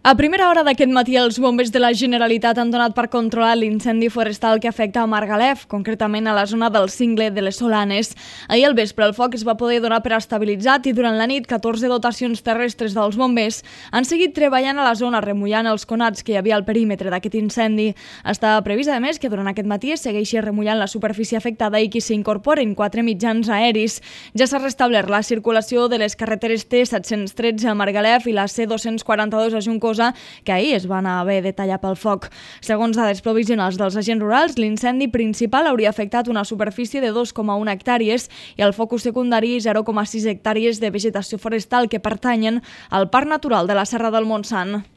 A primera hora d'aquest matí, els bombers de la Generalitat han donat per controlar l'incendi forestal que afecta a Margalef, concretament a la zona del cingle de les Solanes. Ahir al vespre el foc es va poder donar per estabilitzat i durant la nit 14 dotacions terrestres dels bombers han seguit treballant a la zona remullant els conats que hi havia al perímetre d'aquest incendi. Està previst, a més, que durant aquest matí es segueixi remullant la superfície afectada i que s'incorporen 4 mitjans aeris. Ja s'ha restablert la circulació de les carreteres T713 a Margalef i la C242 a Juncosa, que ahir es van haver de tallar pel foc. Segons dades provisionals dels agents rurals, l'incendi principal hauria afectat una superfície de 2,1 hectàrees i el focus secundari 0,6 hectàrees de vegetació forestal que pertanyen al Parc Natural de la Serra del Montsant.